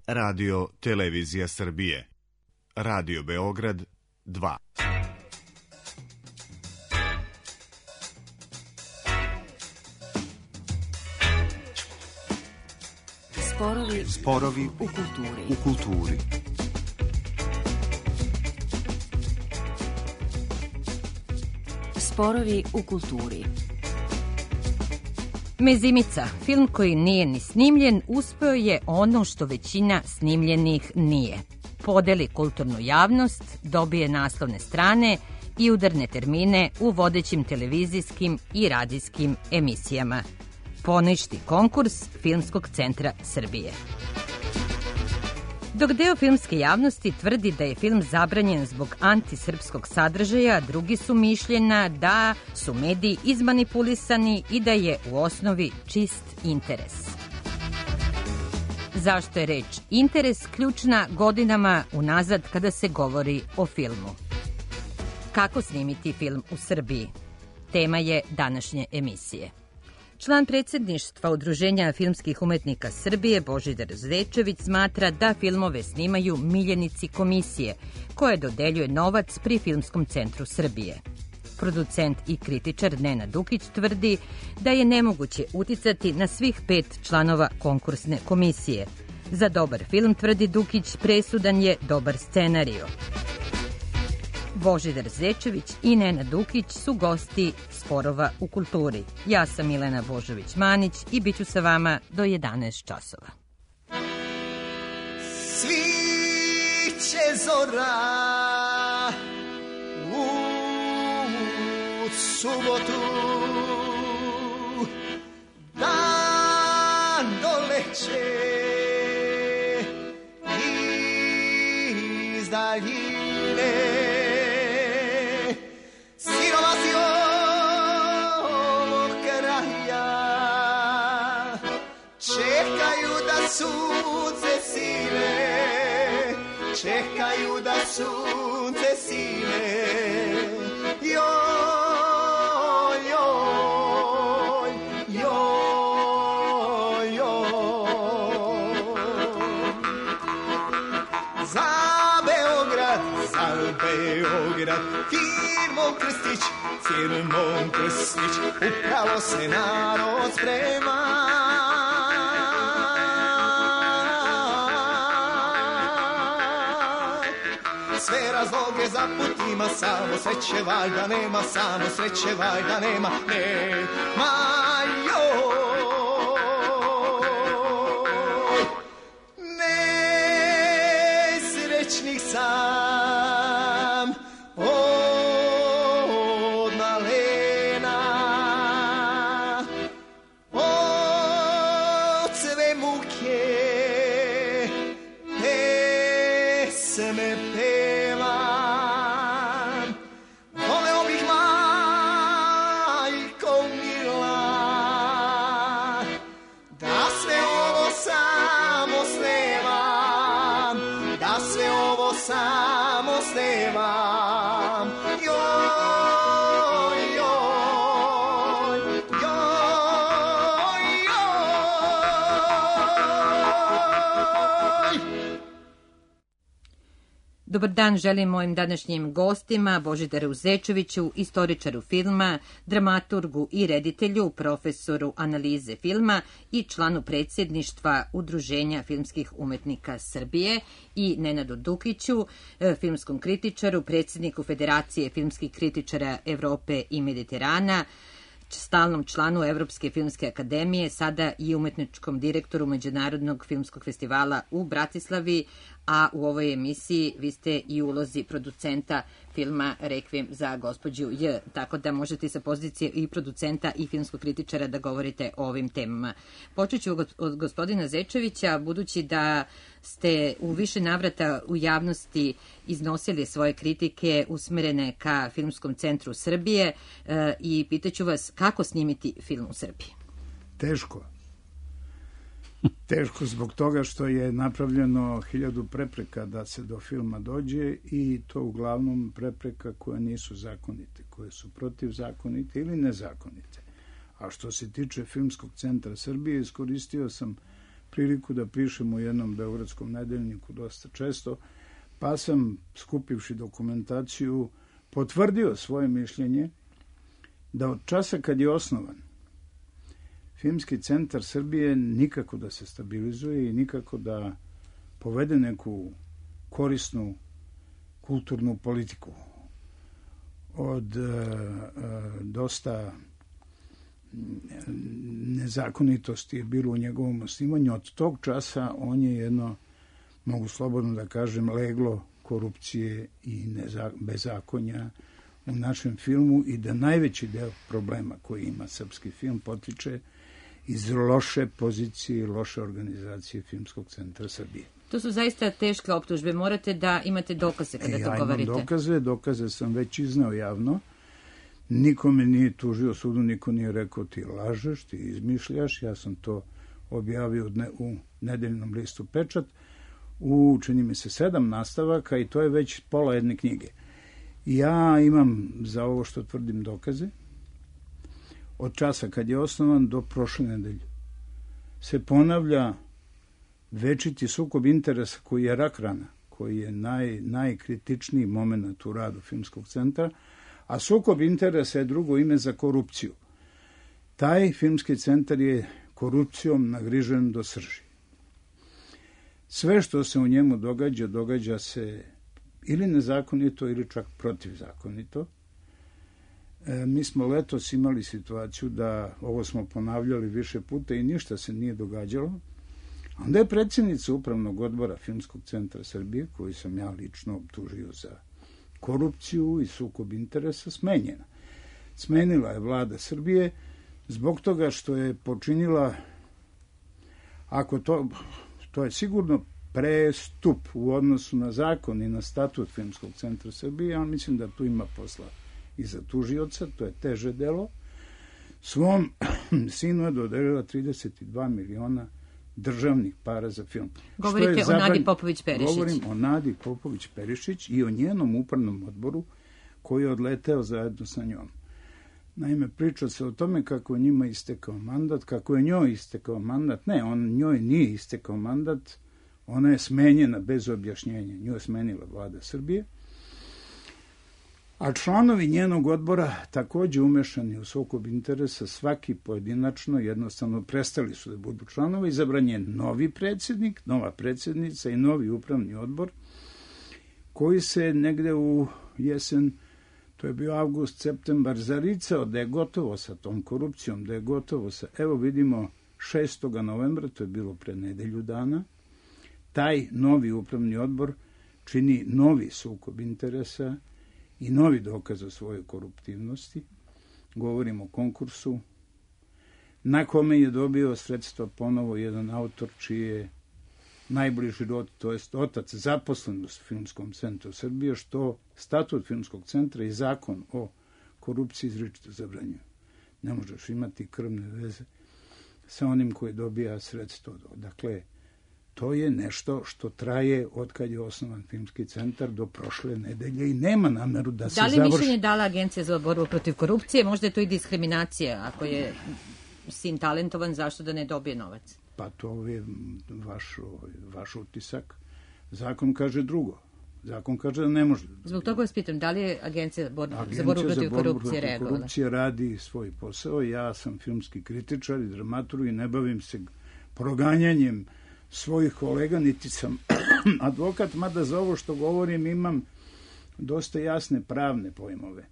Radio Televizija Srbije. Radio Beograd 2. Sporovi u kulturi. Sporovi u kulturi. Mezimica, film koji nije ni snimljen, uspeo je ono što većina snimljenih nije. Podeli kulturnu javnost, dobije naslovne strane i udarne termine u vodećim televizijskim i radijskim emisijama. Poništi konkurs Filmskog centra Srbije. Dok deo filmske javnosti tvrdi da je film zabranjen zbog antisrpskog sadržaja, drugi su mišljena da su mediji izmanipulisani i da je u osnovi čist interes. Zašto je reč interes ključna godinama unazad kada se govori o filmu? Kako snimiti film u Srbiji? Tema je današnje emisije. Član predsjedništva Udruženja filmskih umetnika Srbije Božidar Zečević smatra da filmove snimaju miljenici komisije, koje dodeljuje novac pri Filmskom centru Srbije. Producent i kritičar Nenad Dukić tvrdi da je nemoguće uticati na svih 5 članova konkursne komisije. Za dobar film, tvrdi Dukić, presudan je dobar scenario. Božidar Zečević i Nenad Dukić su gosti Sporova u kulturi. Ja sam Milena Božović-Manić i bit ću sa vama do 11 časova. Sviće zora u subotu, dan doleće iz daljine. Čekaju da sunce sine. Joj, joj, joj, joj. Za Beograd, firmom Krstić, upravo se narod sprema. Sve razloge za put ima, samo sreće valjda nema, samo sreće valjda nema, nema joj. Nesrećnih sam od malena, od sve muke pesme pevam. Voleo bih majko mila da sve ovo samo snevam, da sve ovo samo snevam. Joj, joj, joj, joj. Dobar dan želim mojim današnjim gostima, Božidaru Zečeviću, istoričaru filma, dramaturgu i reditelju, profesoru analize filma i članu predsjedništva Udruženja filmskih umetnika Srbije, i Nenadu Dukiću, filmskom kritičaru, predsjedniku Federacije filmskih kritičara Evrope i Mediterana, stalnom članu Evropske filmske akademije, sada i umetničkom direktoru Međunarodnog filmskog festivala u Bratislavi, a u ovoj emisiji vi ste i u ulozi producenta filma Rekviem za gospođu J, tako da možete sa pozicije i producenta i filmskog kritičara da govorite o ovim temama. Počet ću od gospodina Zečevića, budući da ste u više navrata u javnosti iznosili svoje kritike usmerene ka Filmskom centru Srbije, i pitaću vas kako snimiti film u Srbiji. Teško. Teško zbog toga što je napravljeno 1000 prepreka da se do filma dođe, i to uglavnom prepreka koje nisu zakonite, koje su protivzakonite ili nezakonite. A što se tiče Filmskog centra Srbije, iskoristio sam priliku da pišem u jednom beogradskom nedeljniku dosta često, pa sam, skupivši dokumentaciju, potvrdio svoje mišljenje da od časa kad je osnovan Filmski centar Srbije nikako da se stabilizuje i nikako da povede neku korisnu kulturnu politiku. Od dosta nezakonitosti je bilo u njegovom osnivanju. Od tog časa on je jedno, mogu slobodno da kažem, leglo korupcije i bezakonja u našem filmu i da najveći deo problema koji ima srpski film potiče iz loše pozicije i loše organizacije Filmskog centra Srbije. To su zaista teške optužbe. Morate da imate dokaze kada to govorite. Ja imam dokaze sam već izneo javno. Niko me nije tužio sudu, niko nije rekao ti lažeš, ti izmišljaš. Ja sam to objavio u nedeljnom listu Pečat. Čini mi se 7 nastavaka i to je već pola jedne knjige. Ja imam za ovo što tvrdim dokaze. Od časa kad je osnovan do prošle nedelje se ponavlja večiti sukob interesa koji je rak rana, koji je najkritičniji moment u radu Filmskog centra, a sukob interesa je drugo ime za korupciju. Taj Filmski centar je korupcijom nagrižen do srži. Sve što se u njemu događa se ili nezakonito ili čak protivzakonito. Mi smo letos imali situaciju da, ovo smo ponavljali više puta i ništa se nije događalo. Onda je predsjednica Upravnog odbora Filmskog centra Srbije, koju sam ja lično optužio za korupciju i sukob interesa, smenjena. Smenila je vlada Srbije zbog toga što je počinila, ako to je sigurno prestup u odnosu na zakon i na statut Filmskog centra Srbije, ali mislim da tu ima posla i za tužioca, to je teže delo. Svom sinu je dodelila 32 miliona državnih para za film. Govorite o Nadi Popović-Perišić. Govorim o Nadi Popović-Perišić i o njenom upravnom odboru koji je odleteo zajedno sa njom. Naime, priča se o tome kako je njima istekao mandat, kako je njoj istekao mandat. Ne, njoj nije istekao mandat, ona je smenjena bez objašnjenja. Nju je smenila vlada Srbije. A članovi njenog odbora, takođe umešani u sukob interesa, svaki pojedinačno jednostavno prestali su da budu članovi. Izabran je novi predsjednik, nova predsjednica i novi upravni odbor, koji se negde u jesen, to je bio avgust, septembar, zaricao da je gotovo sa tom korupcijom, da je gotovo sa, evo vidimo, 6. novembra, to je bilo pre nedelju dana, taj novi upravni odbor čini novi sukob interesa i novi dokaz o svojoj koruptivnosti. Govorim o konkursu na kome je dobio sredstva ponovo jedan autor čiji je najbliži rod, to jest otac, zaposlen u Filmskom centru Srbije, što statut Filmskog centra i zakon o korupciji izričito zabranjuju. Ne možeš imati krvne veze sa onim koji dobija sredstvo. Dakle, to je nešto što traje od kad je osnovan Filmski centar do prošle nedelje i nema nameru da se završi. Da li mišljenje dala Agencija za borbu protiv korupcije? Možda je to i diskriminacija. Ako je sin talentovan, zašto da ne dobije novac? Pa to je vaš utisak. Zakon kaže drugo. Zakon kaže da ne može. Zbog toga vas pitam, da li je Agencija za borbu protiv korupcije reagovala? Korupcija radi svoj posao. Ja sam filmski kritičar i dramaturg i ne bavim se proganjanjem svojih kolega, niti sam advokat, mada za ovo što govorim imam dosta jasne pravne pojmove.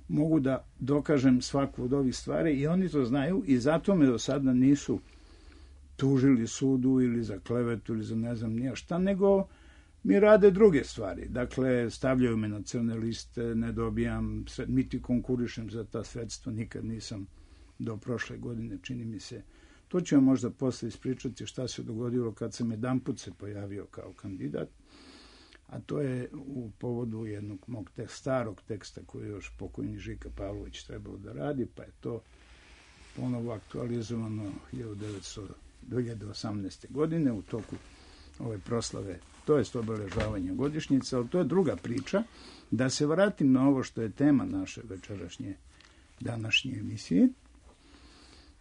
Mogu da dokažem svaku od ovih stvari i oni to znaju i zato me do sada nisu tužili sudu ili za klevetu ili za ne znam nija šta, nego mi rade druge stvari. Dakle, stavljaju me na crne liste, ne dobijam, niti konkurišem za ta sredstva, nikad nisam do prošle godine, čini mi se. To ću vam možda posle ispričati šta se dogodilo kad sam jedanput se pojavio kao kandidat, a to je u povodu jednog mog starog teksta koji je još pokojni Žika Pavlović trebao da radi, pa je to ponovo aktualizovano 2018. godine u toku ove proslave, to je obeležavanje godišnjice, ali to je druga priča. Da se vratim na ovo što je tema naše današnje emisije.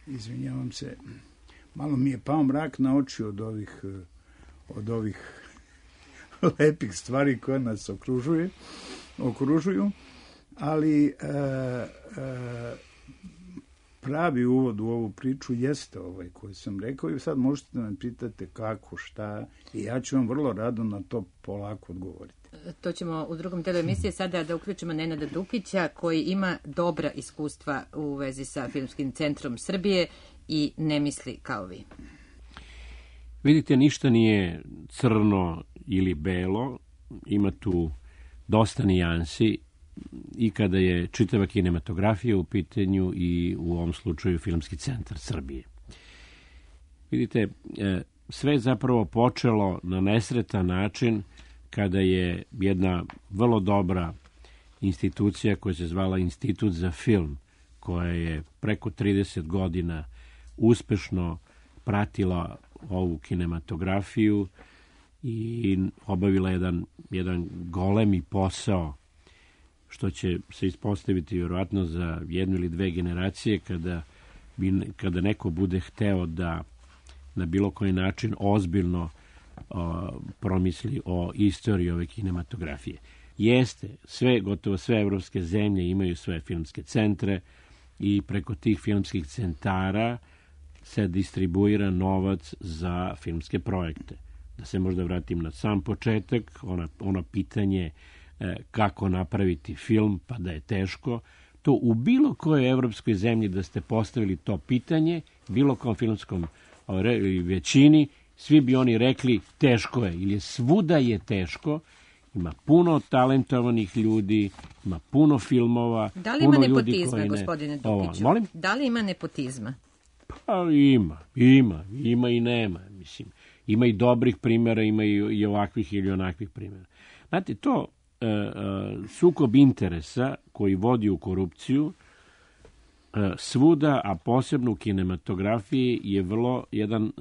Izvinjavam se. malo mi je pao mrak na oči od ovih lepih stvari koje nas okružuju, ali pravi uvod u ovu priču jeste ovaj koji sam rekao i sad možete da me pitate kako, šta, i ja ću vam vrlo rado na to polako odgovoriti. To ćemo u drugom delu emisije sada da uključimo Nenada Dukića, koji ima dobra iskustva u vezi sa Filmskim centrom Srbije i ne misli kao vi. Vidite, ništa nije crno ili belo, ima tu dosta nijansi i kada je čitava kinematografija u pitanju i u ovom slučaju Filmski centar Srbije. Vidite, sve je zapravo počelo na nesretan način kada je jedna vrlo dobra institucija koja se zvala Institut za film, koja je preko 30 godina uspešno pratila ovu kinematografiju i obavila jedan golemi posao, što će se ispostaviti vjerojatno za jednu ili dve generacije kada neko bude hteo da na bilo koji način ozbiljno promisli o istoriji ove kinematografije. Jeste, gotovo sve evropske zemlje imaju svoje filmske centre i preko tih filmskih centara se distribuira novac za filmske projekte. Da se možda vratim na sam početak, ono pitanje kako napraviti film, pa da je teško. To u bilo kojoj evropskoj zemlji da ste postavili to pitanje, bilo kom filmskom većini, svi bi oni rekli teško je, ili svuda je teško. Ima puno talentovanih ljudi, ima puno filmova. Da li ima nepotizma, gospodine Dukiću? Molim? Da li ima nepotizma? Pa ima i nema. Mislim, ima i dobrih primjera, ima i ovakvih ili onakvih primjera. Znate, to sukob interesa koji vodi u korupciju svuda, a posebno u kinematografiji, je vrlo jedan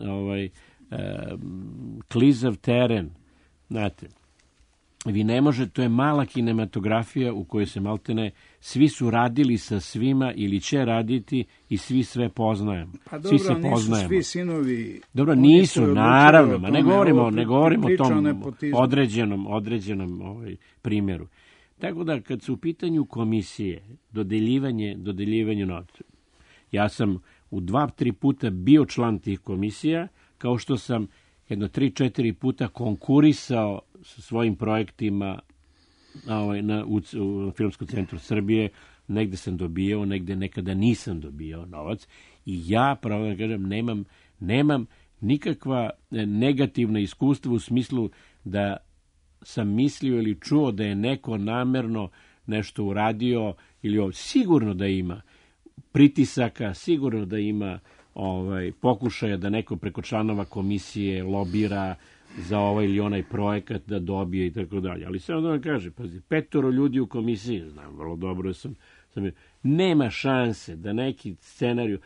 klizav teren. Znate, vi ne možete, to je mala kinematografija u kojoj se maltene svi su radili sa svima ili će raditi i svi sve poznajemo. Pa dobro, svi se poznajemo. Svi sinovi... Dobro, nisu, naravno, ma ne govorimo o tom određenom primjeru. Tako da, kad su u pitanju komisije, dodeljivanje novca, ja sam u 2-3 puta bio član tih komisija, kao što sam jedno 3-4 puta konkurisao sa svojim projektima u Filmskom centru Srbije. Negde sam dobijao, negde nekada nisam dobijao novac. I ja, pravo da kažem, nemam nikakva negativna iskustva u smislu da sam mislio ili čuo da je neko namerno nešto uradio, ili sigurno da ima pritisaka, sigurno da ima pokušaja da neko preko članova komisije lobira za ovaj ili onaj projekat da dobije i tako dalje. Ali samo da vam kaže, pazi, 5 ljudi u komisiji, znam vrlo dobro nema šanse da neki scenariju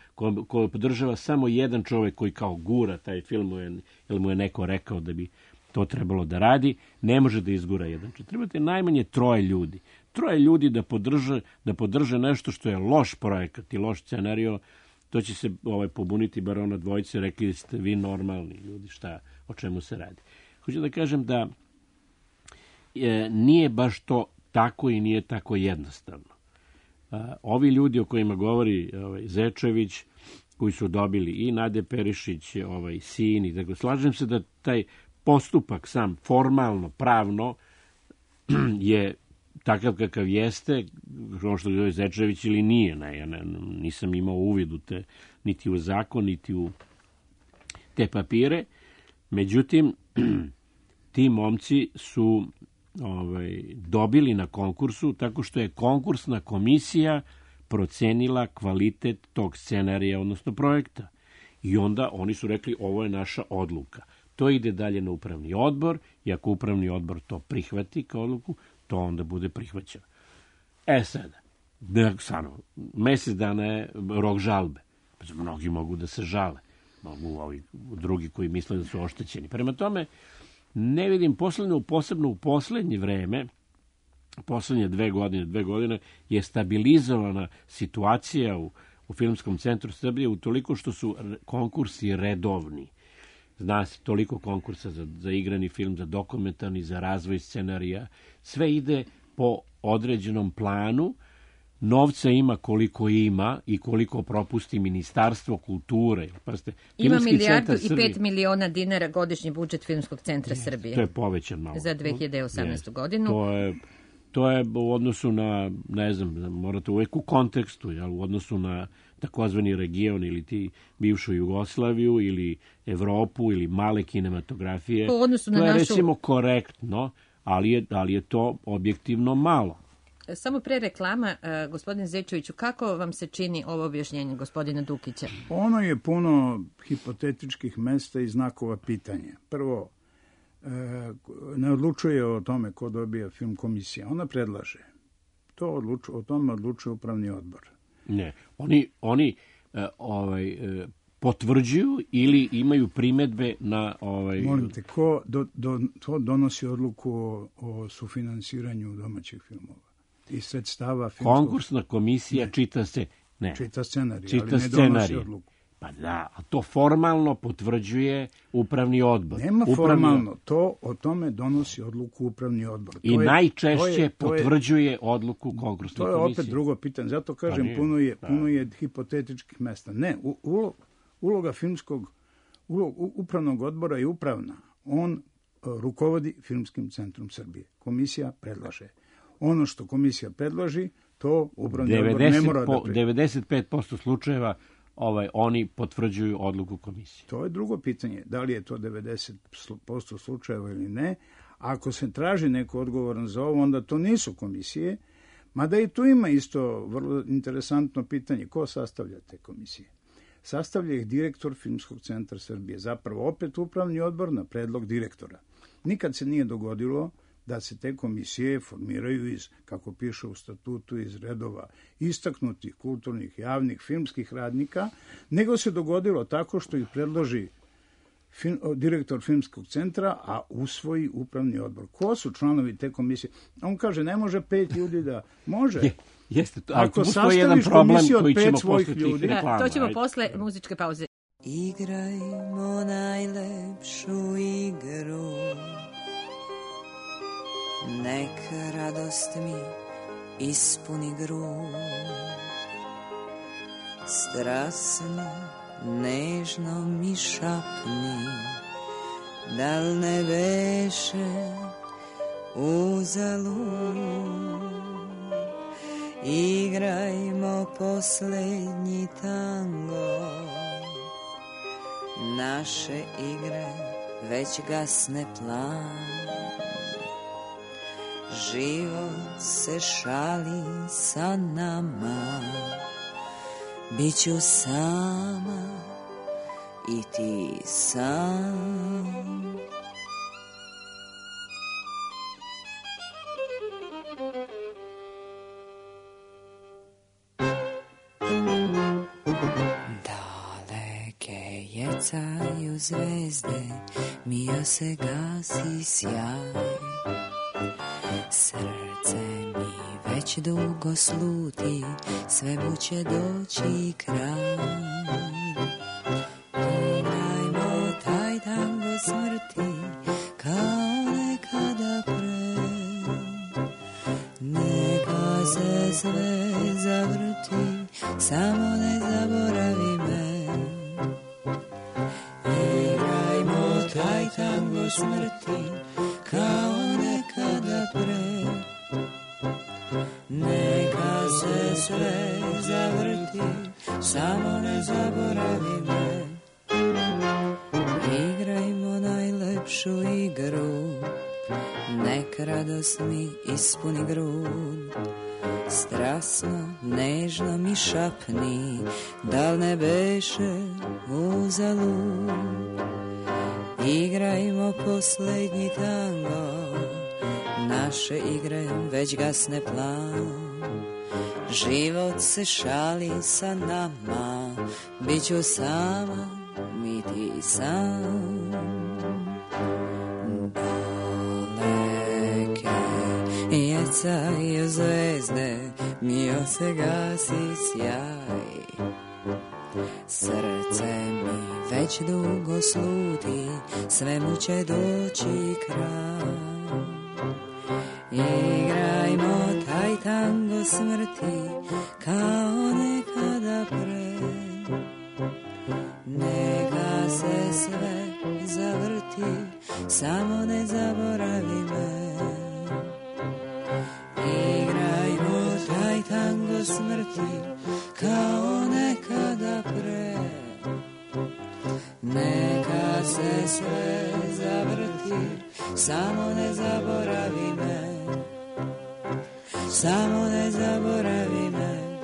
koji podržava samo jedan čovjek koji kao gura taj film, ili mu je neko rekao da bi to trebalo da radi, ne može da izgura jedan. Trebate najmanje 3 ljudi. 3 ljudi da podrže nešto što je loš projekat i loš scenario. To će se pobuniti bar ona dvojice, rekli ste vi normalni ljudi, o čemu se radi. Hoću da kažem da nije baš to tako i nije tako jednostavno. Ovi ljudi o kojima govori Zečević, koji su dobili i Nade Perišić, sin i tako, slažem se da taj postupak sam formalno, pravno je takav kakav jeste, ono što je Zečević ili nije. Ja nisam imao uvid u niti u zakon, niti u te papire. Međutim, ti momci su dobili na konkursu tako što je konkursna komisija procenila kvalitet tog scenarija, odnosno projekta. I onda oni su rekli, ovo je naša odluka. To ide dalje na upravni odbor i ako upravni odbor to prihvati kao odluku, to onda bude prihvaćeno. Sada, mjesec dana je rok žalbe. Mnogi mogu da se žale. Mogu ovi drugi koji misle da su oštećeni. Prema tome, ne vidim, posebno u poslednje vreme, poslednje 2 godine je stabilizovana situacija u Filmskom centru Srbije, utoliko što su konkursi redovni. Zna se toliko konkursa za igrani film, za dokumentarni, za razvoj scenarija. Sve ide po određenom planu. Novca ima koliko ima i koliko propusti Ministarstvo kulture. Ima 1,5 milijarda dinara godišnji budžet Filmskog centra Srbije. To je povećan malo. Za 2018. godinu. To je u odnosu na, ne znam, morate uvek u kontekstu, u odnosu na takozvani region ili ti bivšu Jugoslaviju ili Evropu ili male kinematografije. Po odnosu na to je recimo korektno, ali je to objektivno malo. Samo pre reklama, gospodin Zečeviću, kako vam se čini ovo objašnjenje gospodina Dukića? Ono je puno hipotetičkih mesta i znakova pitanja. Prvo, ne odlučuje o tome ko dobija film komisija. Ona predlaže. O tome odlučuje upravni odbor. Ne, oni potvrđuju ili imaju primedbe na... Molim te, to donosi odluku o sufinansiranju domaćih filmova? I sredstava filmskog... Konkursna komisija čita se... Ne. Čita scenarij, ali ne donosi odluku. Pa da, a to formalno potvrđuje upravni odbor. Nema formalno, o tome donosi odluku upravni odbor. I najčešće potvrđuje odluku konkursne komisije. To je opet drugo pitanje, zato kažem, puno je hipotetičkih mesta. Ne, uloga upravnog odbora je upravna. On rukovodi Filmskim centrom Srbije. Komisija predlaže. Ono što komisija predloži, to upravni odbor ne mora da prihvati. 95% slučajeva oni potvrđuju odluku komisije. To je drugo pitanje. Da li je to 90% slučajeva ili ne? Ako se traži neko odgovoran za ovo, onda to nisu komisije. Mada i tu ima isto vrlo interesantno pitanje. Ko sastavlja te komisije? Sastavlja ih direktor Filmskog centra Srbije. Zapravo opet upravni odbor na predlog direktora. Nikad se nije dogodilo da se te komisije formiraju iz, kako piše u statutu, iz redova istaknutih kulturnih, javnih, filmskih radnika, nego se dogodilo tako što ih predloži direktor Filmskog centra, a usvoji upravni odbor. Ko su članovi te komisije? On kaže, ne može 5 ljudi da... Može. Jeste to. Ako sastaviš komisiju od 5 svojih ljudi... To ćemo posle muzičke pauze. Igrajmo najlepšu igru, neka radost mi ispuni grud, strasno, nežno mi šapni, dal ne beše uzalud. Igrajmo poslednji tango, naše igre već gasne plan. Život se šali sa nama, biću sama i ti sam. Daleke jecaju zvezde, mija se gasi sjaj. Srce mi već dugo sluti, svemu će doći kraj. Igrajmo taj tango smrti, kao nekada pre. Neka se sve zavrti, samo ne zaboravi me. Igrajmo taj tango smrti, kao nekada pre. Neka se sve zavrti, samo ne zaboravi me. Igrajmo najlepšu igru, nek radost mi ispuni grud. Strasno, nežno mi šapni, dal ne beše uzalud. Igrajmo poslednji tango, naše igre već gasne plan. Život se šali sa nama, biću sama, mi ti sam. Daleke mrcaju zvezde, mio se gasi sjaj. Srce mi već dugo sluti, svemu će doći kraj. Igrajmo taj tango smrti, kao nekada pre. Neka se sve zavrti, samo ne zaboravi me. Igrajmo taj tango smrti, kao nekada pre. Neka se sve zavrti, samo ne zaboravi me. Samo ne zaboravi me.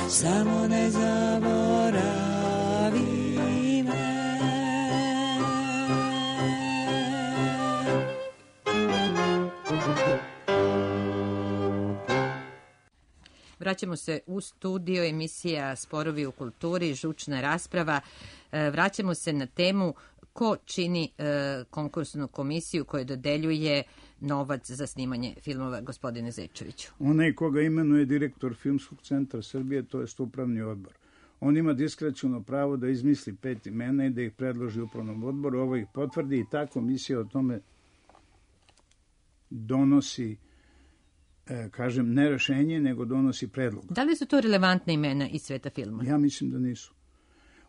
Samo ne zaboravi me. Vraćamo se u studio, emisija Sporovi u kulturi, žučna rasprava. Vraćamo se na temu ko čini konkursnu komisiju koja dodeljuje novac za snimanje filmova, gospodine Zečeviću. Onaj koga imenuje direktor Filmskog centra Srbije, to je upravni odbor. On ima diskreciono pravo da izmisli 5 imena i da ih predloži upravnom odboru, ovo ih potvrdi i ta komisija o tome donosi, kažem, ne rešenje, nego donosi predlog. Da li su to relevantna imena iz sveta filma? Ja mislim da nisu.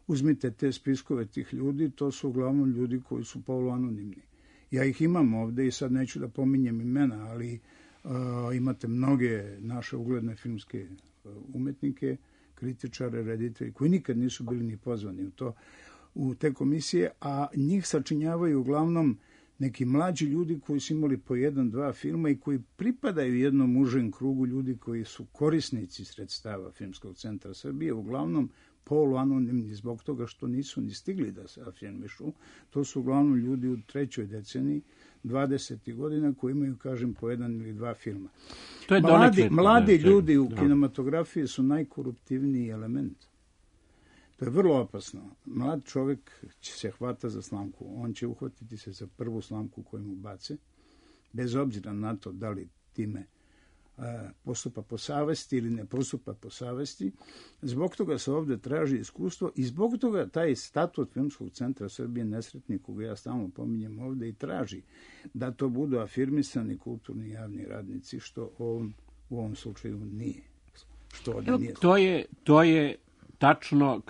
Uzmite te spiskove tih ljudi, to su uglavnom ljudi koji su poluanonimni. Ja ih imam ovde i sad neću da pominjem imena, ali imate mnoge naše ugledne filmske umetnike, kritičare, reditelji, koji nikad nisu bili ni pozvani u te komisije, a njih sačinjavaju uglavnom neki mlađi ljudi koji su imali po 1-2 filma i koji pripadaju jednom užem krugu ljudi koji su korisnici sredstava Filmskog centra Srbije, uglavnom poluanonimni zbog toga što nisu ni stigli da se afirmišu. To su uglavnom ljudi u 3. deceniji 20. godina koji imaju, kažem, po 1 ili 2 filma. To je mladi ljudi u kinematografiji su najkoruptivniji element. To je vrlo opasno. Mlad čovjek će se hvata za slamku. On će uhvatiti se za prvu slamku koju mu bace, bez obzira na to da li time postupa po savesti ili ne postupa po savesti. Zbog toga se ovde traži iskustvo i zbog toga taj statut Filmskog centra Srbije nesretni, koga ja stalno pominjem ovde, i traži da to budu afirmisani kulturni javni radnici, što u ovom slučaju nije. To je tačno,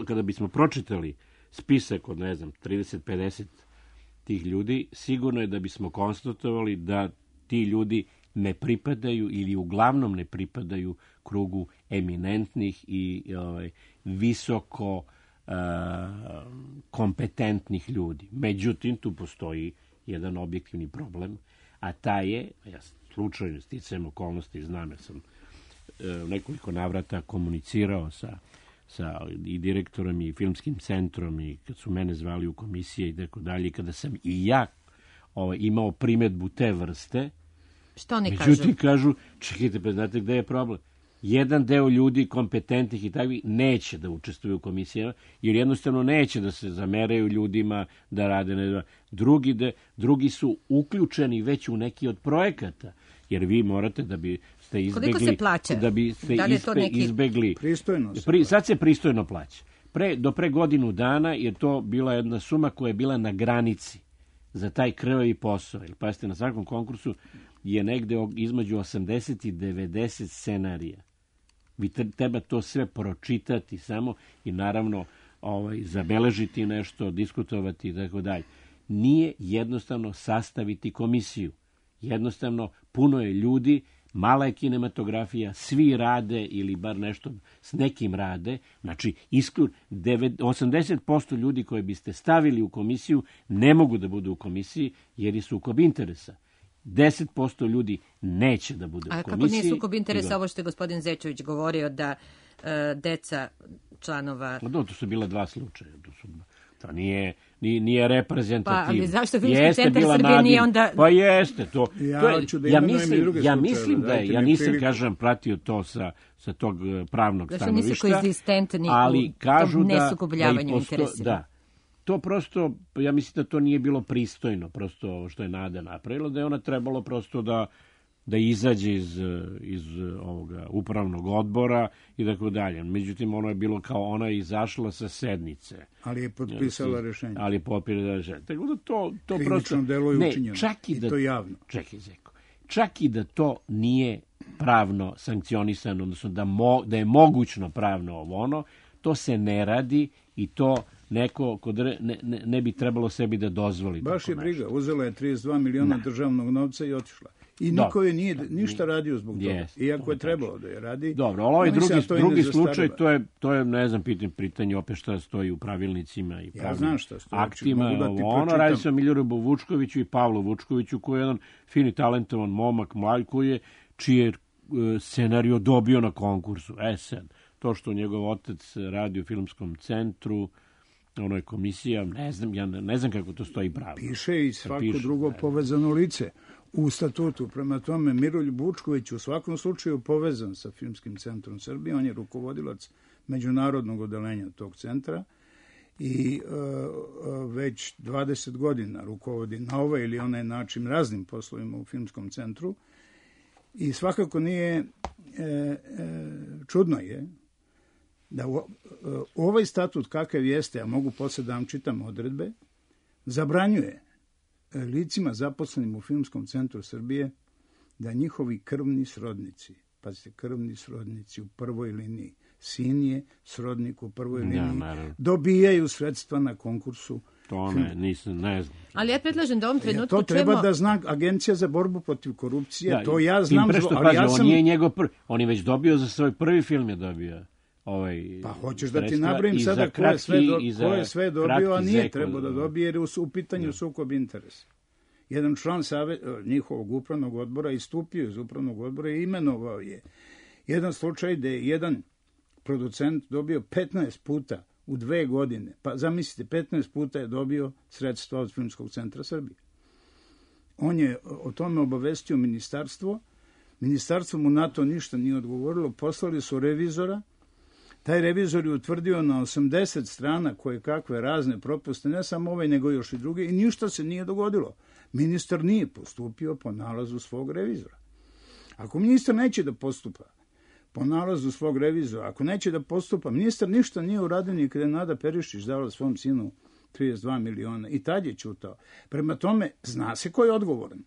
kada bismo pročitali spisak od, 30-50 tih ljudi, sigurno je da bismo konstatovali da ti ljudi ne pripadaju ili uglavnom ne pripadaju krugu eminentnih i visoko kompetentnih ljudi. Međutim, tu postoji jedan objektivni problem, a taj je, ja slučajno sticajem okolnosti znam, jer sam nekoliko navrata komunicirao sa i direktorom i filmskim centrom i kad su mene zvali u komisije i tako dalje, kada sam i ja imao primedbu te vrste. Što oni kažu? Međutim, kažu, čekajte, pa znate gde je problem? Jedan deo ljudi kompetentnih i takvih neće da učestvuju u komisijama, jer jednostavno neće da se zameraju ljudima da rade. Drugi su uključeni već u neki od projekata, jer vi morate da biste izbegli... Koliko se plaća? Da biste izbegli... Pristojno sad se pristojno plaća. Do pre godinu dana je to bila jedna suma koja je bila na granici za taj krvavi posao. Jer, pazite, na svakom konkursu je negde između 80 i 90 scenarija. Vi treba to sve pročitati samo i naravno zabeležiti nešto, diskutovati i tako dalje. Nije jednostavno sastaviti komisiju. Jednostavno, puno je ljudi, mala je kinematografija, svi rade ili bar nešto s nekim rade. Znači, 80% ljudi koje biste stavili u komisiju ne mogu da budu u komisiji jer je sukob interesa. 10% ljudi neće da bude u komisiji. A kako nije sukob interesa ovo što je gospodin Zečević govorio da deca članova... To su bila 2 slučaja. To nije reprezentativno. Pa, ali zašto Filmski centar Srbije nije onda... Pa jeste, to... Ja mislim da je, ja nisam, kažem, pratio to sa tog pravnog stanovišta, nisu koegzistentni ali kažu nesukobljavanju interesa. Da, to prosto, ja mislim da to nije bilo pristojno, prosto ovo što je Nada napravila, da je ona trebalo prosto da izađe iz ovoga upravnog odbora i tako dalje. Međutim, ono je bilo kao ona je izašla sa sednice. Ali je potpisala rešenje. Ali je potpisala rešenje. Tako da to krivično prosto... delo je učinjeno. I to javno. Čekaj, Zeko. Čak i da to nije pravno sankcionisano, odnosno da je mogućno pravno ono, to se ne radi i to neko ne bi trebalo sebi da dozvoli. Baš je briga. Uzela je 32 miliona državnog novca i otišla. I niko je nije ništa radio zbog toga. Iako je trebalo da je radi. Dobro, ali ovaj drugi slučaj, to je, ne znam, pitanje opet šta stoji u pravilnicima i pravnim aktima. Radi se o Miloradu Vučkoviću i Pavlu Vučkoviću, koji je jedan fini, talentovan momak, mlad, čiji je scenario dobio na konkursu. Sad, to što njegov otac radi u filmskom centru, ono je komisija, ne znam kako to stoji pravno. Piše i svako drugo povezano lice u statutu. Prema tome, Miroljub Vučković u svakom slučaju povezan sa Filmskim centrom Srbije. On je rukovodilac međunarodnog odeljenja tog centra i već 20 godina rukovodi na ovaj ili onaj način raznim poslovima u Filmskom centru. I svakako nije čudno je da ovaj statut kakav jeste, a mogu posle da vam čitam odredbe, zabranjuje licima zaposlenim u Filmskom centru Srbije da njihovi krvni srodnici, pazite, krvni srodnici u prvoj liniji, sin je srodnik u prvoj liniji, dobijaju sredstva na konkursu. To ne znam. Ali ja predlažem da u ovom trenutku to treba da zna Agencija za borbu protiv korupcije, to ja znam. Ali ja sam... On nije njegov prvi, on je već dobio za svoj prvi film je dobio pa hoćeš da ti nabrojim sada ko je sve dobio, a nije trebao da dobije, jer je u pitanju sukob interesa. Jedan član njihovog upravnog odbora istupio iz upravnog odbora i imenovao je jedan slučaj gde je jedan producent dobio 15 puta u 2 godine. Pa zamislite, 15 puta je dobio sredstva od Filmskog centra Srbije. On je o tome obavestio ministarstvo. Ministarstvo mu na to ništa nije odgovorilo. Poslali su revizora. Taj revizor je utvrdio na 80 strana koje kakve razne propuste, ne samo ovaj, nego još i druge, i ništa se nije dogodilo. Ministar nije postupio po nalazu svog revizora. Ako ministar neće da postupa po nalazu svog revizora, ako neće da postupa, ministar ništa nije uradio ni kada je Nada Perišić dala svom sinu 32 miliona i tad je ćutao. Prema tome, zna se ko je odgovoran.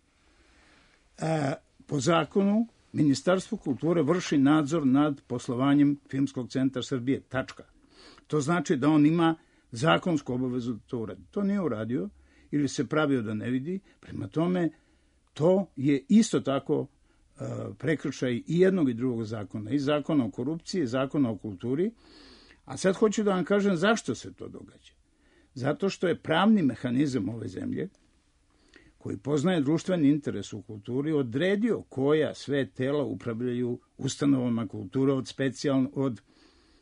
Po zakonu, Ministarstvo kulture vrši nadzor nad poslovanjem Filmskog centra Srbije. Tačka. To znači da on ima zakonsku obavezu da to uradi. To nije uradio ili se pravio da ne vidi. Prema tome, to je isto tako prekršaj i jednog i drugog zakona. I zakona o korupciji, i zakona o kulturi. A sad hoću da vam kažem zašto se to događa. Zato što je pravni mehanizam ove zemlje, koji poznaje društveni interes u kulturi, odredio koja sve tela upravljaju ustanovama kulture od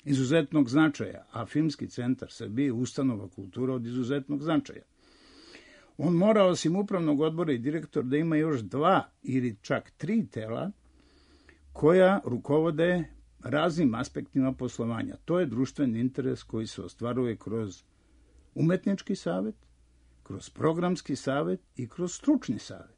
izuzetnog značaja, a Filmski centar Srbije je ustanova kulture od izuzetnog značaja. On mora, osim upravnog odbora i direktor, da ima još 2 ili čak 3 tela koja rukovode raznim aspektima poslovanja. To je društveni interes koji se ostvaruje kroz umetnički savet, kroz programski savet i kroz stručni savet.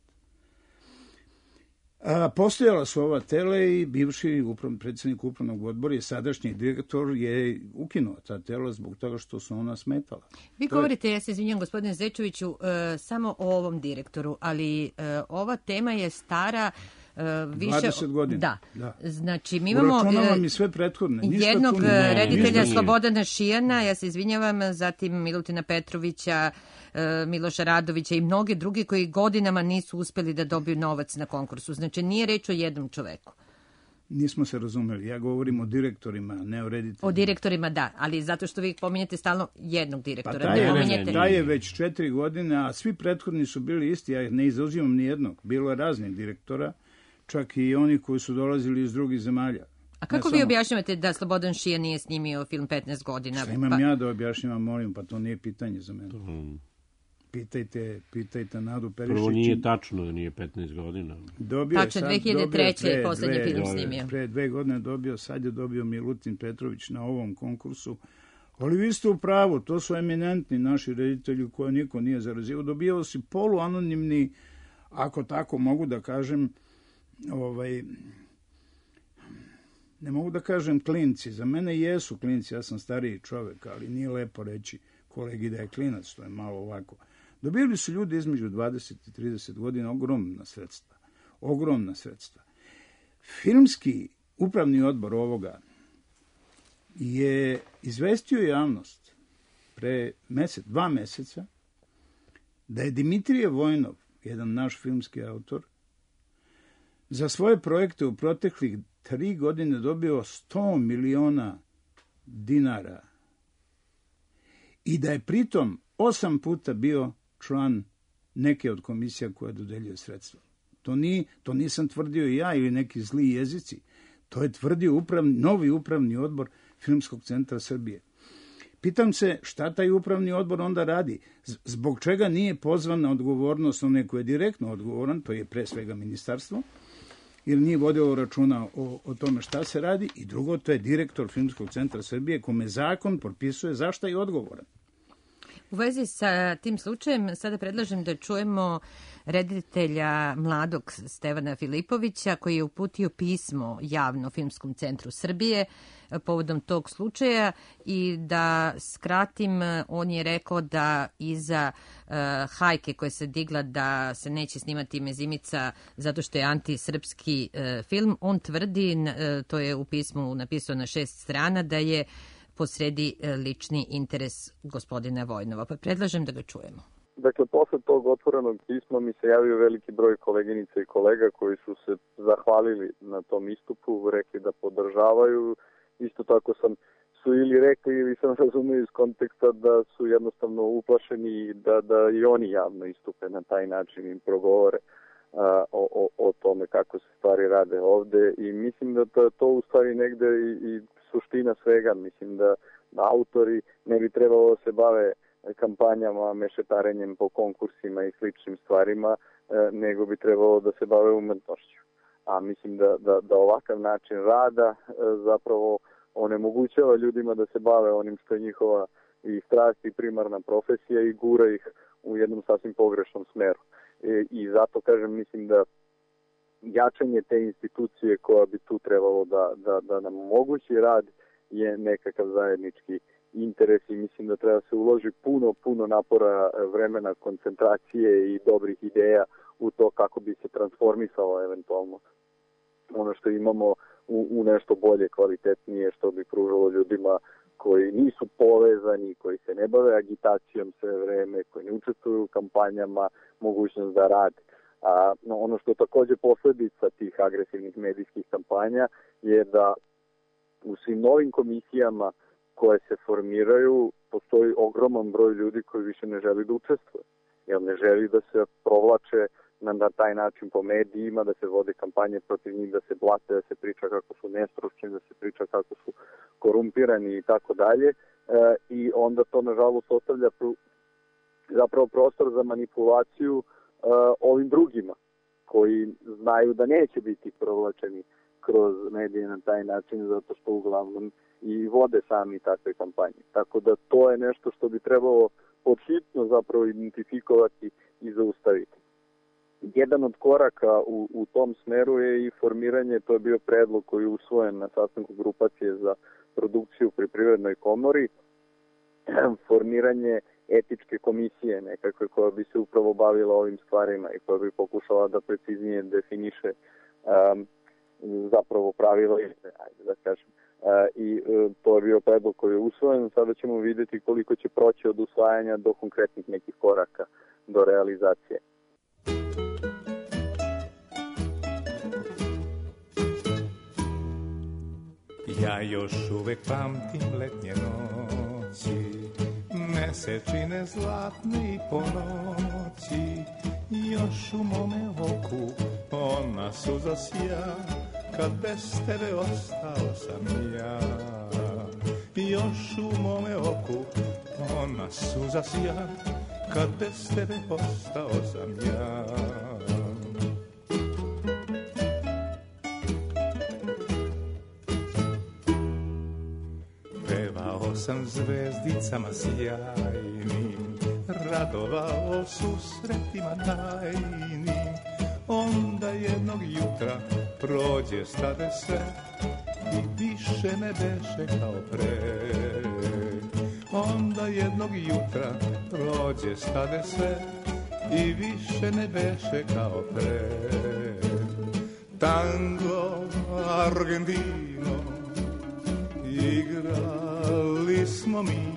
Postojala su ova tela i bivši predsjednik upravnog odbora i sadašnji direktor je ukinuo ta tela zbog toga što su ona smetala. Vi govorite, ja se izvinjam gospodine Zečeviću, samo o ovom direktoru, ali ova tema je stara više 20 godina. Da. Znači, mi imamo uračunavam i sve prethodne. Jednog reditelja Slobodana Šijana, ja se izvinjavam, zatim Milutina Petrovića, Miloša Radovića i mnoge drugi koji godinama nisu uspeli da dobiju novac na konkursu. Znači, nije reč o jednom čoveku. Nismo se razumeli. Ja govorim o direktorima, ne o rediteljima. O direktorima, da, ali zato što vi pominjete stalno jednog direktora. Pa taj je već 4 godine, a svi prethodni su bili isti. Ja ne izuzimam ni jednog. Bilo je raznih direktora, čak i oni koji su dolazili iz drugih zemalja. A kako vi objašnjavate da Slobodan Šijan nije snimio film 15 godina? Šta imam ja da objašnjavam, molim, pa to nije pitanje za mene. Pitajte Nadu Perišić. Prvo nije tačno da nije 15 godina. Tačno, 2003. je poslednji film snimio. Pre 2 godine dobio, sad je dobio Milutin Petrović na ovom konkursu Ali vi ste u pravu, to su eminentni naši reditelji koje niko nije zarazio. Dobijao si poluanonimni, ako tako mogu da kažem, ne mogu da kažem klinci. Za mene jesu klinci, ja sam stariji čovek, ali nije lepo reći kolegi da je klinac, to je malo ovako. Dobili su ljudi između 20 i 30 godina ogromna sredstva. Filmski upravni odbor ovoga je izvestio javnost pre 2 meseca da je Dimitrije Vojnov, jedan naš filmski autor, za svoje projekte u proteklih 3 godine dobio 100 miliona dinara i da je pritom 8 puta bio član neke od komisija koja dodeljuje sredstva. To nisam tvrdio ja ili neki zli jezici. To je tvrdio novi upravni odbor Filmskog centra Srbije. Pitam se šta taj upravni odbor onda radi? Zbog čega nije pozvan na odgovornost onaj koji je direktno odgovoran, to je pre svega ministarstvo, ili nije vodio računa o tome šta se radi, i drugo, to je direktor Filmskog centra Srbije kome zakon propisuje zašta je odgovoran. U vezi sa tim slučajem sada predlažem da čujemo reditelja mladog Stevana Filipovića koji je uputio pismo javno Filmskom centru Srbije povodom tog slučaja i da skratim, on je rekao da iza hajke koja se digla da se neće snimati Mezimica zato što je antisrpski film, on tvrdi, to je u pismu napisao na 6 strana, da je posredi lični interes gospodina Vojnova. Pa predlažem da ga čujemo. Dakle, posle tog otvorenog pisma mi se javio veliki broj koleginica i kolega koji su se zahvalili na tom istupu, rekli da podržavaju. Isto tako su ili rekli ili sam razumio iz konteksta da su jednostavno uplašeni da i oni javno istupe na taj način i progovore o tome kako se stvari rade ovde. I mislim da to u stvari negde i suština svega. Mislim da autori ne bi trebalo da se bave kampanjama, mešetarenjem po konkursima i sličnim stvarima, nego bi trebalo da se bave umetnošću. A mislim da ovakav način rada zapravo onemogućava ljudima da se bave onim što je njihova i strast i primarna profesija i gura ih u jednom sasvim pogrešnom smeru. I zato, kažem, mislim da jačanje te institucije koja bi tu trebalo da nam omogući rad je nekakav zajednički interes i mislim da treba se uloži puno napora, vremena, koncentracije i dobrih ideja u to kako bi se transformisalo eventualno ono što imamo u nešto bolje, kvalitetnije, što bi pružalo ljudima koji nisu povezani, koji se ne bave agitacijom sve vreme, koji ne učestvuju u kampanjama, mogućnost da rade. Ono što je takođe posledica tih agresivnih medijskih kampanja je da u svim novim komisijama koje se formiraju postoji ogroman broj ljudi koji više ne želi da učestvuje. Jer ne želi da se provlače na taj način po medijima, da se vode kampanje protiv njih, da se blate, da se priča kako su nestručni, da se priča kako su korumpirani i tako dalje. I onda to nažalost ostavlja zapravo prostor za manipulaciju ovim drugima koji znaju da neće biti provlačeni kroz medije na taj način zato što uglavnom i vode sami takve kampanje. Tako da to je nešto što bi trebalo podhitno zapravo identifikovati i zaustaviti. Jedan od koraka u tom smeru je i formiranje, to je bio predlog koji je usvojen na sastanku grupacije za produkciju pri Privrednoj komori, formiranje etičke komisije nekakve koja bi se upravo bavila ovim stvarima i koja bi pokušala da preciznije definiše zapravo pravila, ajde da kažem. I to je bio predlog koji je usvojen. Sada ćemo vidjeti koliko će proći od usvajanja do konkretnih nekih koraka do realizacije. Ja još uvek pamtim letnje noći, mesečine zlatne i po noći, još u mome oku ona suza sja, kad bez tebe ostao sam ja. Još u mome oku ona suza sja, kad bez tebe ostao sam ja. sam zvezdicama sjajnim, radovao susretima tajnim. Onda jednog jutra prođe stade sve i više ne beše kao pre. Onda jednog jutra prođe stade sve i više ne beše kao pre. Tango Argentino igrali smo mi,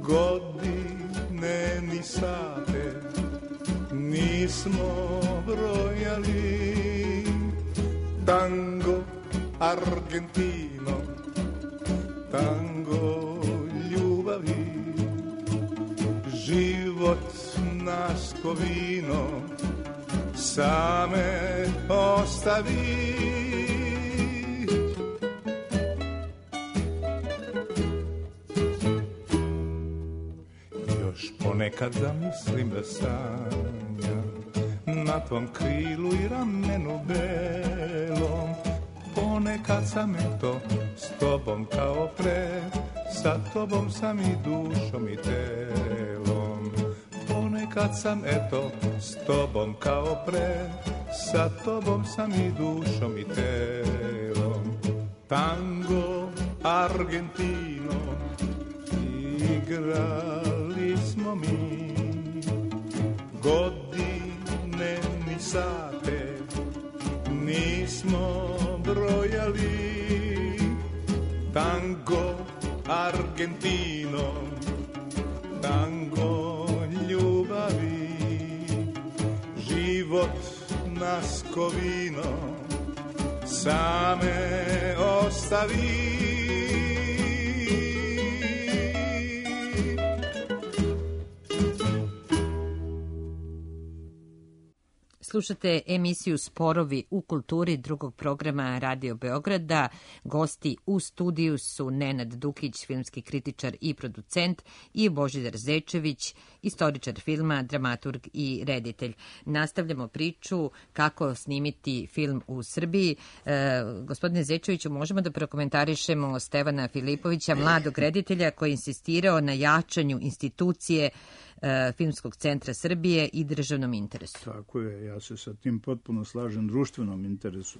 godine ni sate nismo brojali. Tango Argentino, tango ljubavi, život nas ko vino same ostavi. Još ponekad zamislim da sanjam na tvom krilu i ramenu belom. Ponekad sam eto s tobom kao pre, sa tobom sam i dušom i telom. Ponekad sam eto s tobom kao pre, sa tobom sam i dušom i telom. Tango Argentino igrali smo mi, godine ni sate nismo brojali. Tango Argentino, tango ljubavi, život nas ko vino same ostavi. Slušate emisiju Sporovi u kulturi drugog programa Radio Beograda. Gosti u studiju su Nenad Dukić, filmski kritičar i producent, i Božidar Zečević, istoričar filma, dramaturg i reditelj. Nastavljamo priču kako snimiti film u Srbiji. Gospodine Zečeviću, možemo da prokomentarišemo Stevana Filipovića, mladog reditelja koji je insistirao na jačanju institucije Filmskog centra Srbije i državnom interesu. Tako je, ja se sa tim potpuno slažem, društvenom interesu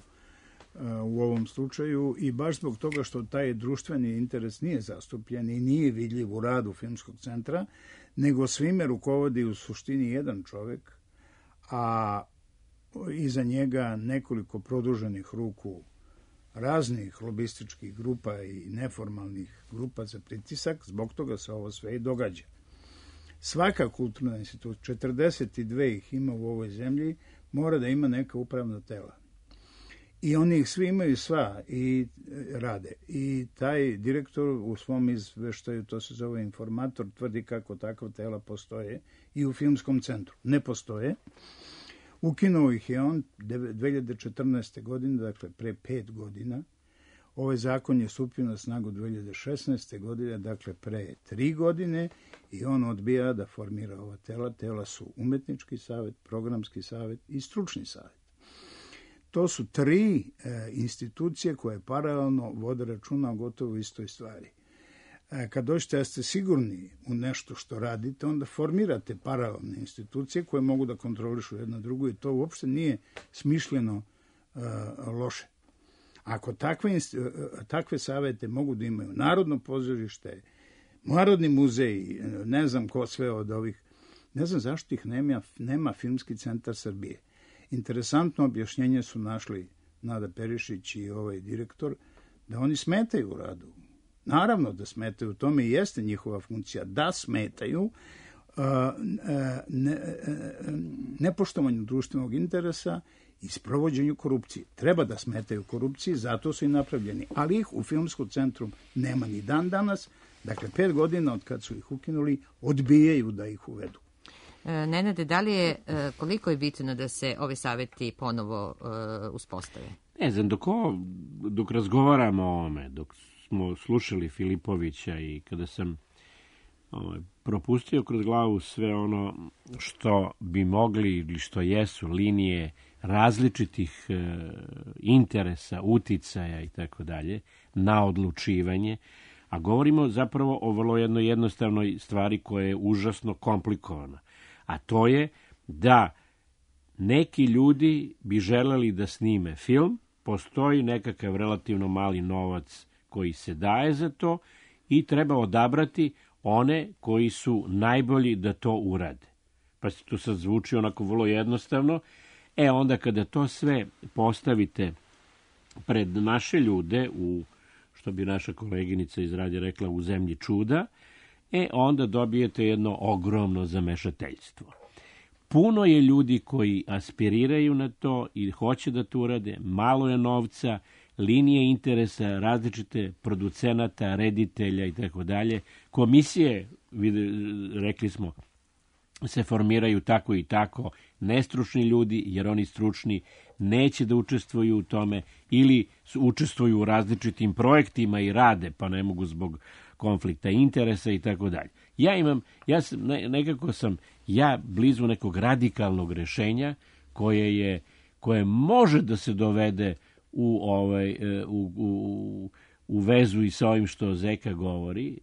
u ovom slučaju, i baš zbog toga što taj društveni interes nije zastupljen i nije vidljiv u radu Filmskog centra, nego svime rukovodi u suštini jedan čovek, a iza njega nekoliko produženih ruku raznih lobističkih grupa i neformalnih grupa za pritisak. Zbog toga se ovo sve i događa. Svaka kulturna institucija, 42 ih ima u ovoj zemlji, mora da ima neka upravna tela. I oni ih svi imaju sva i rade. I taj direktor u svom izveštaju, to se zove informator, tvrdi kako takva tela postoje i u Filmskom centru. Ne postoje. Ukinuo ih je on 2014. godine, dakle pre 5 godina. Ovaj zakon je stupio na snagu 2016. godine, dakle pre 3 godine, i on odbija da formira ova tela. Tela su umetnički savet, programski savet i stručni savet. To su 3 institucije koje paralelno vode računa o gotovo istoj stvari. Kad dođete da ste sigurni u nešto što radite, onda formirate paralelne institucije koje mogu da kontrolišu jedna drugu, i to uopšte nije smišljeno loše. Ako takve savete mogu da imaju Narodno pozorište, Narodni muzej, ne znam ko sve od ovih, ne znam zašto ih nema Filmski centar Srbije. Interesantno objašnjenje su našli Nada Perišić i ovaj direktor, da oni smetaju u radu. Naravno da smetaju, u tome i jeste njihova funkcija, da smetaju nepoštovanju društvenog interesa i sprovođenju korupcije. Treba da smetaju korupciji, zato su i napravljeni. Ali ih u Filmskom centru nema ni dan danas. Dakle, 5 godina od kad su ih ukinuli, odbijaju da ih uvedu. Nenade, da li je, koliko je bitno da se ovi saveti ponovo uspostave? Ne znam, dok razgovaramo o ovome, dok smo slušali Filipovića i kada sam propustio kroz glavu sve ono što bi mogli ili što jesu linije različitih interesa, uticaja i tako dalje na odlučivanje, A govorimo zapravo o vrlo jednoj jednostavnoj stvari koja je užasno komplikovana. A to je da neki ljudi bi želeli da snime film, postoji nekakav relativno mali novac koji se daje za to i treba odabrati one koji su najbolji da to urade. Pa se to sad zvuči onako vrlo jednostavno. Onda kada to sve postavite pred naše ljude, u, što bi naša koleginica iz radija rekla, u zemlji čuda, onda dobijete jedno ogromno zamešateljstvo. Puno je ljudi koji aspiriraju na to i hoće da to urade, malo je novca, linije interesa, različite producenata, reditelja i tako dalje. Komisije, rekli smo, se formiraju tako i tako, nestručni ljudi, jer oni stručni neće da učestvuju u tome ili učestvuju u različitim projektima i rade, pa ne mogu zbog konflikta interesa i tako dalje. Nekako sam blizu nekog radikalnog rešenja koje može da se dovede u vezu i sa ovim što Zeka govori,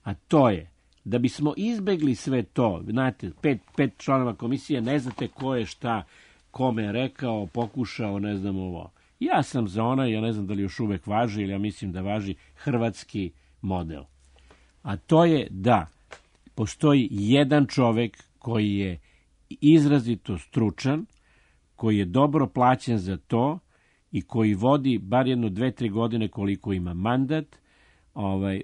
a to je da bismo izbegli sve to, znate, pet članova komisije, ne znate ko je šta kome rekao, pokušao, ne znam ovo. Ja sam za onaj, ja ne znam da li još uvek važi, ili ja mislim da važi hrvatski model. A to je da postoji jedan čovek koji je izrazito stručan, koji je dobro plaćen za to i koji vodi bar 2-3 godine koliko ima mandat,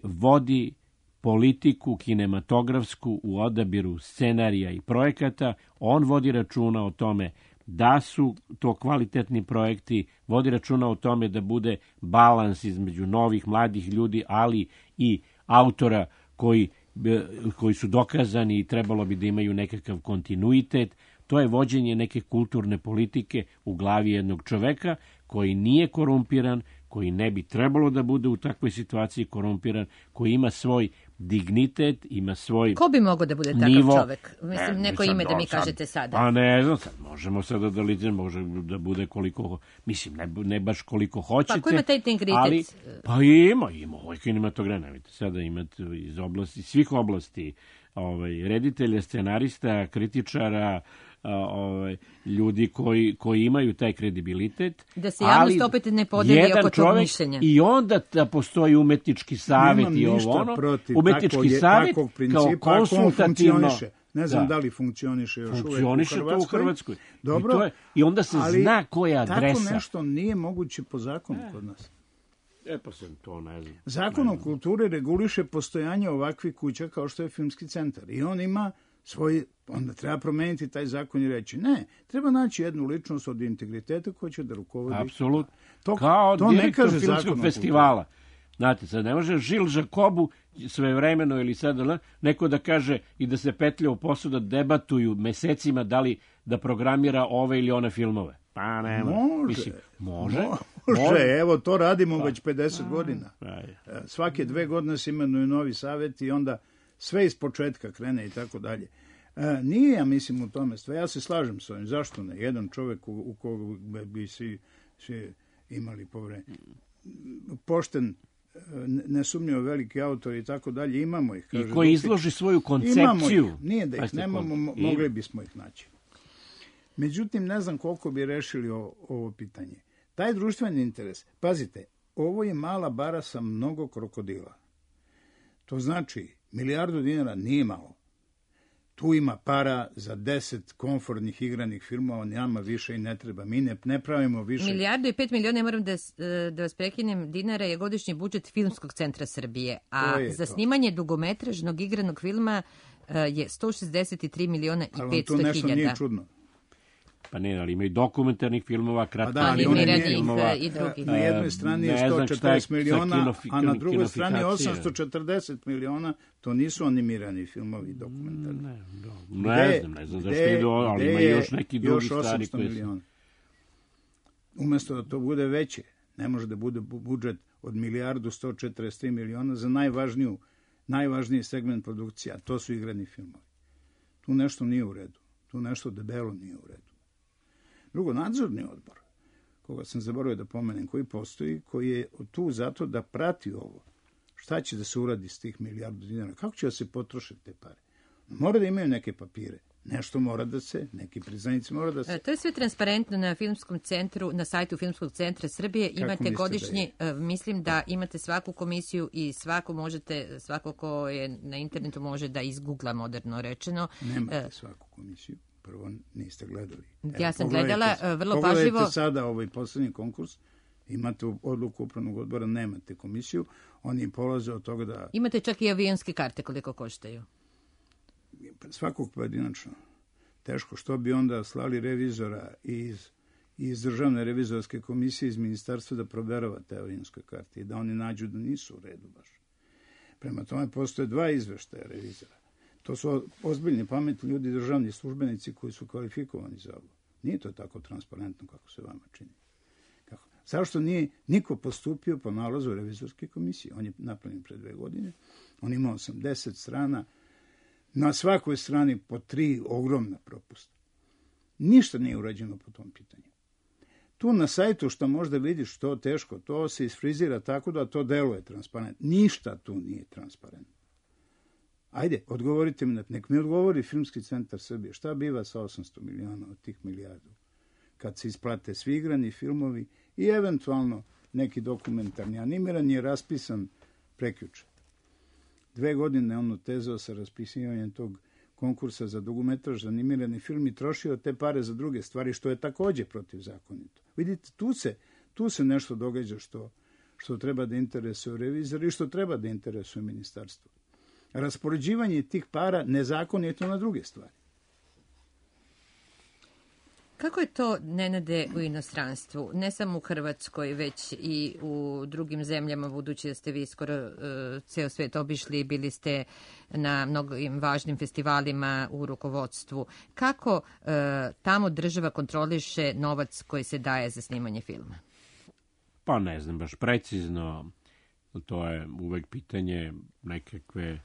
vodi politiku kinematografsku u odabiru scenarija i projekata. On vodi računa o tome da su to kvalitetni projekti, vodi računa o tome da bude balans između novih, mladih ljudi, ali i autora koji su dokazani i trebalo bi da imaju nekakav kontinuitet. To je vođenje neke kulturne politike u glavi jednog čoveka koji nije korumpiran, koji ne bi trebalo da bude u takvoj situaciji korumpiran, koji ima svoj dignitet, ima svoj Ko bi mogao da bude nivo. Takav čovek? Mislim, neko ime da mi kažete sada. Pa ne znam, sad možemo sada da ličimo, može da bude koliko, mislim, ne baš koliko hoćete. Pa ko ima taj integritet? Ali, pa ima ovaj kinematograf, vidite, sada imate iz oblasti, svih oblasti, reditelja, scenarista, kritičara, ljudi koji imaju taj kredibilitet. Da se javnost opet ne podeli oko tog mišljenja. I onda da postoji umetnički savjet i umetnički savjet kao konsultativno. Ne znam da li funkcioniše još uvek u Hrvatskoj. Funkcioniše to u Hrvatskoj. Dobro, I onda se zna koja je adresa. Tako nešto nije moguće po zakonu kod nas. Pa se to ne znam. Zakon o kulturi reguliše postojanje ovakvih kuća kao što je Filmski centar. I on ima svoj, onda treba promeniti taj zakon i reći ne, treba naći jednu ličnost od integriteta koja će da rukovodi. Apsolutno. Kao direktor filmskog festivala. Znate, sad ne može Žil Žakobu svevremeno ili sad neko da kaže i da se petlja u posao da debatuju mesecima da li da programira ove ili one filmove. Pa nema. Može. Evo, to radimo već 50 godina. Svake 2 godine se imenuju novi savjet i onda sve iz početka krene i tako dalje. Nije, ja mislim, u tome sve. Ja se slažem s ovim. Zašto ne? Jedan čovjek u koga bi svi imali poverenje. Pošten, nesumnjivo veliki autor i tako dalje, imamo ih. I koji izloži svoju koncepciju. Nije da ih nemamo, mogli bismo ih naći. Međutim, ne znam koliko bi rešili ovo pitanje. Taj društveni interes, pazite, ovo je mala bara sa mnogo krokodila. To znači, $1.000.000.000 nije malo. Tu ima para za 10 komfortnih igranih filmova, nama više i ne treba. Mi ne pravimo više. $1.500.000.000, moram da vas prekinem, dinara je godišnji budžet Filmskog centra Srbije, a za snimanje dugometražnog igranog filma je $163.500.000. Ali to nešto nije čudno. Pa ne, ali ima i dokumentarnih filmova, animiranih filmova i drugih. Na jednoj strani je 140 miliona, a na drugoj strani 840 miliona. To nisu animirani filmovi dokumentarni. Ne znam zašto idu, ali ima još neki drugi stvari koji su. Umesto da to bude veće, ne može da bude budžet od $1.143.000.000 za najvažniji segment produkcije, a to su igrani filmovi. Tu nešto nije u redu. Tu nešto debelo nije u redu. Drugo, nadzorni odbor, koga sam zaboravio da pomenem, koji postoji, koji je tu zato da prati ovo Šta će da se uradi s tih milijardu dinara? Kako će da se potroše te pare? Mora da imaju neke papire. Nešto mora da se, neki priznanici mora da se... To je sve transparentno na Filmskom centru, na sajtu Filmskog centra Srbije. Imate godišnji, mislim da imate svaku komisiju i svako ko je na internetu može da izgugla, moderno rečeno. Nemate svaku komisiju. Prvo niste gledali. Ja sam gledala vrlo pažljivo. Pogledajte sada ovaj poslednji konkurs. Imate odluku upravnog odbora, nemate komisiju. Oni polaze od toga da... Imate čak i avionske karte koliko koštaju. Svakog pojedinačno. Teško. Što bi onda slali revizora iz Državne revizorske komisije iz ministarstva da proverava te avionske karte i da oni nađu da nisu u redu baš. Prema tome postoje 2 izveštaja revizora. To su ozbiljni, pametni ljudi, državni službenici koji su kvalifikovani za ovo. Nije to tako transparentno kako se vama čini. Zašto nije niko postupio po nalazu revizorske komisije? On je napravljen pre 2 godine. On ima 80 strana. Na svakoj strani po 3 ogromna propusta. Ništa nije urađeno po tom pitanju. Tu na sajtu što možda vidiš to teško, to se isfrizira tako da to deluje transparentno. Ništa tu nije transparentno. Ajde, odgovorite mi, nek mi odgovori Filmski centar Srbije. Šta biva sa 800 miliona od tih milijardu? Kad se isplate svi igrani filmovi i eventualno neki dokumentarni animirani je raspisan prekjuče. 2 godine on otezao sa raspisivanjem tog konkursa za dugometraž, za animirani film i trošio te pare za druge stvari, što je takođe protivzakonito. Vidite, tu se nešto događa što treba da interesuje revizor i što treba da interesuje ministarstvo. Raspoređivanje tih para nezakonito na druge stvari. Kako je to, Nenade, u inostranstvu? Ne samo u Hrvatskoj, već i u drugim zemljama, budući da ste vi skoro ceo svet obišli, bili ste na mnogim važnim festivalima u rukovodstvu. Kako tamo država kontroliše novac koji se daje za snimanje filma? Pa ne znam baš precizno. To je uvek pitanje nekakve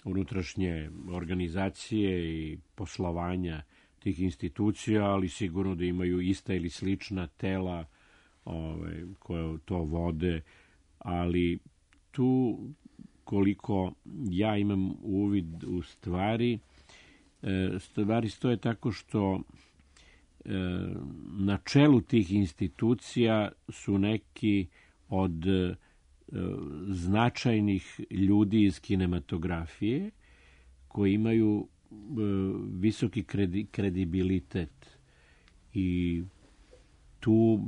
unutrašnje organizacije i poslovanja tih institucija, ali sigurno da imaju ista ili slična tela koje to vode, ali tu koliko ja imam uvid u stvari stoje tako što na čelu tih institucija su neki od značajnih ljudi iz kinematografije koji imaju visoki kredibilitet i tu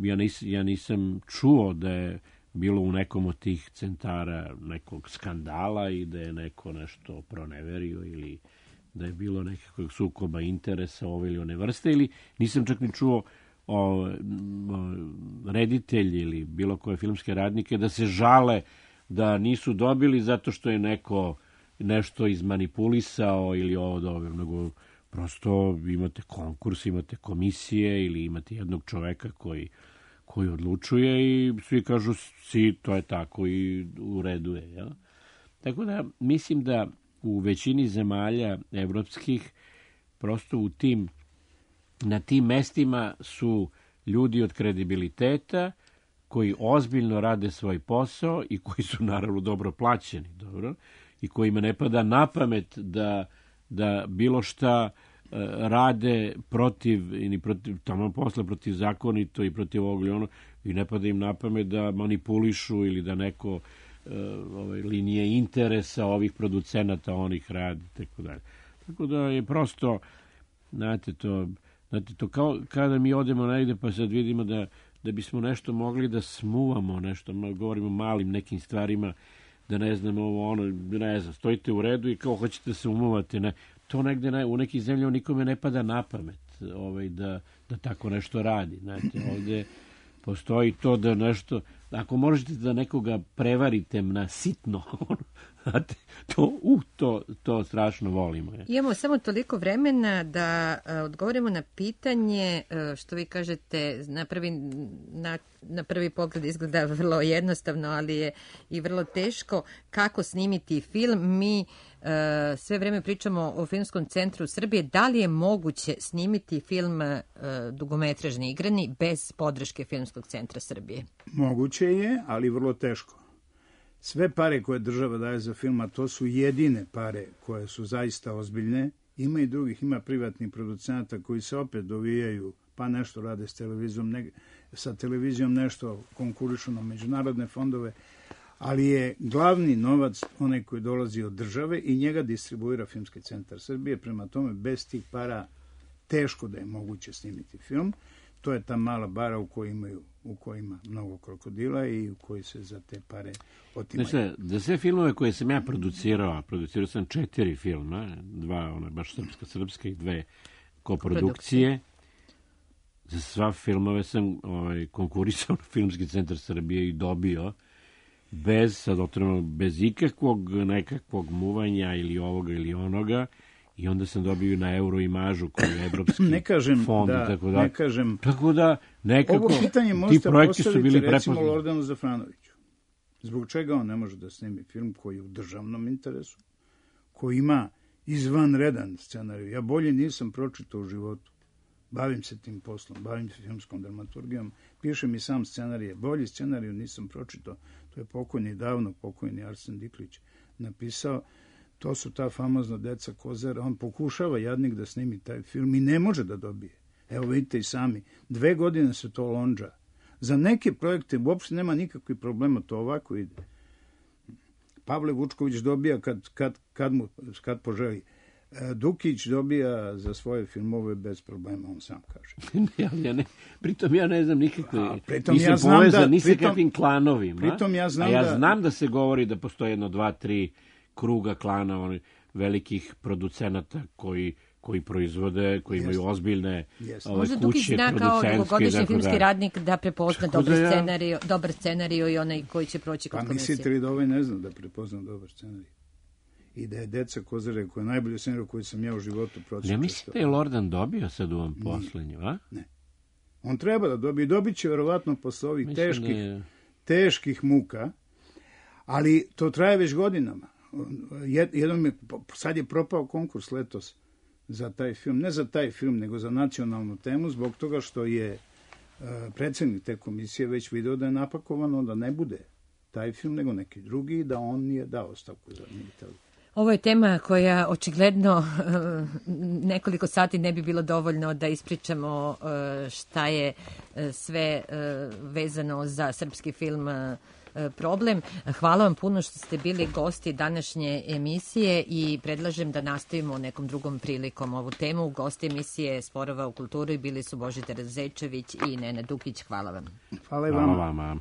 ja nisam čuo da je bilo u nekom od tih centara nekog skandala i da je neko nešto proneverio ili da je bilo nekakvog sukoba interesa ove ili one vrste, ili nisam čak ni čuo reditelji ili bilo koje filmske radnike da se žale da nisu dobili zato što je neko nešto izmanipulisao ili ovo dobro, nego prosto imate konkurs, imate komisije ili imate jednog čoveka koji odlučuje i svi kažu to je tako i u redu je. Ja? Tako da mislim da u većini zemalja evropskih prosto na tim mestima su ljudi od kredibiliteta koji ozbiljno rade svoj posao i koji su naravno dobro plaćeni, dobro, i kojima ne pada na pamet da bilo šta rade protiv tamo posle protiv zakonito i protiv ovog ili ono, i ne pada im na pamet da manipulišu ili da neko linije interesa ovih producenata onih radi, tako dalje. Tako da je prosto, znate to kao kada mi odemo negde pa sad vidimo da bismo nešto mogli da smuvamo nešto, govorimo o malim nekim stvarima, da ne znam stojite u redu i kao hoćete da se umuvate, ne. To negde u nekih zemljama nikome ne pada na pamet da tako nešto radi. Znate, ovde postoji to da nešto, ako možete da nekoga prevarite na sitno, znate, to strašno volimo. Je. Imamo samo toliko vremena da odgovorimo na pitanje, što vi kažete, na prvi pogled izgleda vrlo jednostavno, ali je i vrlo teško kako snimiti film. Mi sve vreme pričamo o Filmskom centru Srbije. Da li je moguće snimiti film dugometražni igrani bez podrške Filmskog centra Srbije? Moguće je, ali vrlo teško. sve pare koje država daje za film, a to su jedine pare koje su zaista ozbiljne, ima i drugih, ima privatnih producenta koji se opet dovijaju, pa nešto rade sa televizijom nešto konkurišu na međunarodne fondove, ali je glavni novac onaj koji dolazi od države i njega distribuira Filmski centar Srbije. Prema tome, bez tih para teško da je moguće snimiti film. To je ta mala bara u kojoj ima mnogo krokodila i u kojoj se za te pare otimaju. Znači, za sve filmove koje sam ja producirao sam 4 filma, 2 baš srpska i 2 koprodukcije. Za sva filmove sam konkurisao na Filmski centar Srbije i dobio bez ikakvog nekakvog muvanja ili ovoga ili onoga, i onda sam dobio na Euroimažu koji je evropski fond i tako da. Tako da nekako ovo pitanje možete postaviti recimo Lordanu Zafranoviću. Zbog čega on ne može da snimi film koji je u državnom interesu, koji ima izvanredan scenarij? Ja bolje nisam pročitao u životu. Bavim se tim poslom, bavim se filmskom dramaturgijom, pišem i sam scenarije. Bolji scenariju nisam pročitao. To je davno pokojni Arsen Diklić napisao. To su ta famozna Deca Kozara. On pokušava jadnik da snimi taj film i ne može da dobije. Evo vidite i sami. 2 godine se to lonđa. Za neke projekte uopšte nema nikakvih problema, to ovako ide. Pavle Vučković dobija kad poželi. Dukić dobija za svoje filmove bez problema, on sam kaže. Pritom ja ne znam nikakve, nisam povezan ni sa kakvim klanovima. Ja znam da se govori da postoje 1, 2, 3 kruga klana velikih producenata koji proizvode, koji imaju ozbiljne kuće, možda Dukić zna kao dugogodišnji filmski radnik da prepozna dobar scenariju i onaj koji će proći kod komisije. Pa mislite li da ovaj ne zna da prepozna dobar scenarij? I da je Deca Kozare, koja je najbolji scenarij koji sam ja u životu pročitao. Ja mislim da je Lordan dobio sad u ovom poslednju, a? Ne. On treba da dobije. Dobit će verovatno posle ovih teških muka, ali to traje već godinama. Sad je propao konkurs letos za taj film. Ne za taj film, nego za nacionalnu temu, zbog toga što je predsednik te komisije već video da je napakovano da ne bude taj film, nego neki drugi, da on nije dao ostavku za Militel. Ovo je tema koja očigledno nekoliko sati ne bi bilo dovoljno da ispričamo šta je sve vezano za srpski film problem. Hvala vam puno što ste bili gosti današnje emisije i predlažem da nastavimo nekom drugom prilikom ovu temu. Gosti emisije Sporova u kulturi bili su Božidar Zečević i Nenad Dukić. Hvala vam. Hvala i vama.